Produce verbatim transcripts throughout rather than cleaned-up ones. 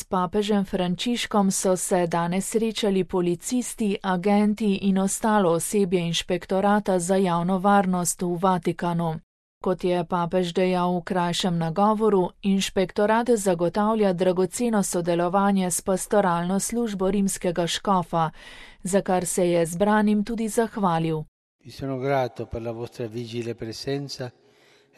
papežem Frančiškom so se danes srečali policisti, agenti in ostalo osebje inšpektorata za javno varnost v Vatikanu. Kot je papež dejal v krajšem nagovoru, inšpektorat zagotavlja dragoceno sodelovanje s pastoralno službo rimskega škofa, za kar se je zbranim tudi zahvalil. Vi sono grato per la vostra vigile presenza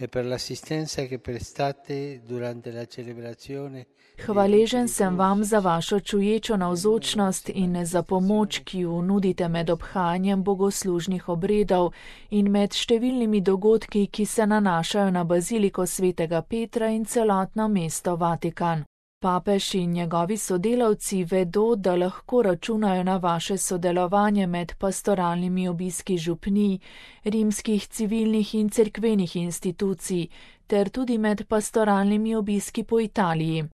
e per l'assistenza che prestate durante la celebrazione. Hvaležen sem vam za vašo čuječo navzočnost in za pomoč, ki jo nudite med obhajanjem bogoslužnih obredov in med številnimi dogodki, ki se nanašajo na baziliko svetega Petra in celotno mesto Vatikan. Papež in njegovi sodelavci vedo, da lahko računajo na vaše sodelovanje med pastoralnimi obiski župnij, rimskih civilnih in cerkvenih institucij, ter tudi med pastoralnimi obiski po Italiji.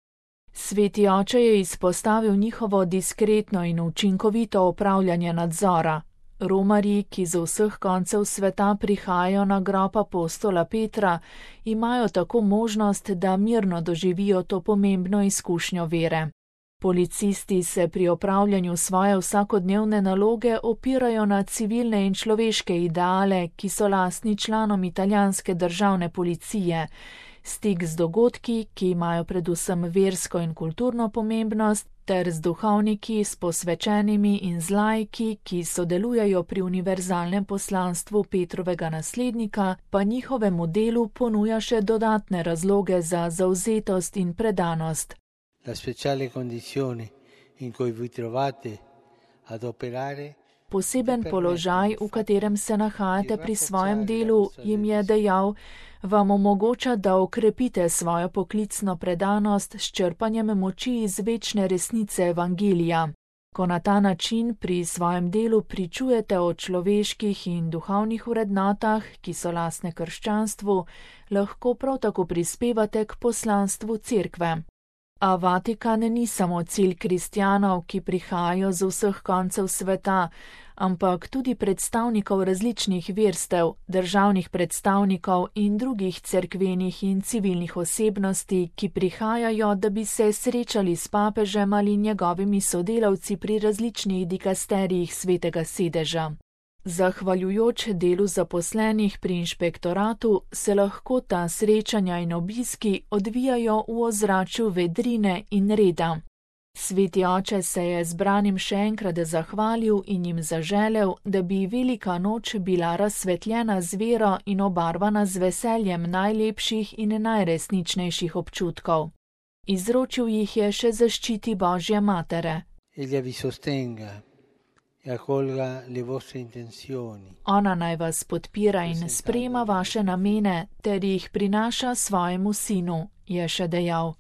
Sveti oče je izpostavil njihovo diskretno in učinkovito opravljanje nadzora. Romarji, ki z vseh koncev sveta prihajajo na grob apostola Petra, imajo tako možnost, da mirno doživijo to pomembno izkušnjo vere. Policisti se pri opravljanju svoje vsakodnevne naloge opirajo na civilne in človeške ideale, ki so lastni članom italijanske državne policije. Stik z dogodki, ki imajo predvsem versko in kulturno pomembnost, ter z duhovniki, s posvečenimi in z laiki, ki sodelujejo pri univerzalnem poslanstvu Petrovega naslednika, pa njihovemu delu ponuja še dodatne razloge za zavzetost in predanost. La speciale condizioni in cui vi trovate ad operare. Poseben položaj, v katerem se nahajate pri svojem delu, jim je dejal, vam omogoča, da okrepite svojo poklicno predanost s črpanjem moči iz večne resnice evangelija. Ko na ta način pri svojem delu pričujete o človeških in duhovnih vrednotah, ki so lastne krščanstvu, lahko prav tako prispevate k poslanstvu cerkve. A Vatikan ni samo cilj kristjanov, ki prihajajo z vseh koncev sveta, ampak tudi predstavnikov različnih verstev, državnih predstavnikov in drugih cerkvenih in civilnih osebnosti, ki prihajajo, da bi se srečali s papežem ali njegovimi sodelavci pri različnih dikasterijih svetega sedeža. Zahvaljujoč delu zaposlenih pri inšpektoratu se lahko ta srečanja in obiski odvijajo v ozračju vedrine in reda. Sveti oče se je zbranim še enkrat zahvalil in jim zaželel, da bi velika noč bila razsvetljena z vero in obarvana z veseljem najlepših in najresničnejših občutkov. Izročil jih je še zaščiti Božje matere. Egli vi sostenga. Ona naj vas podpira in sprejema vaše namene ter jih prinaša svojemu sinu, je še dejal.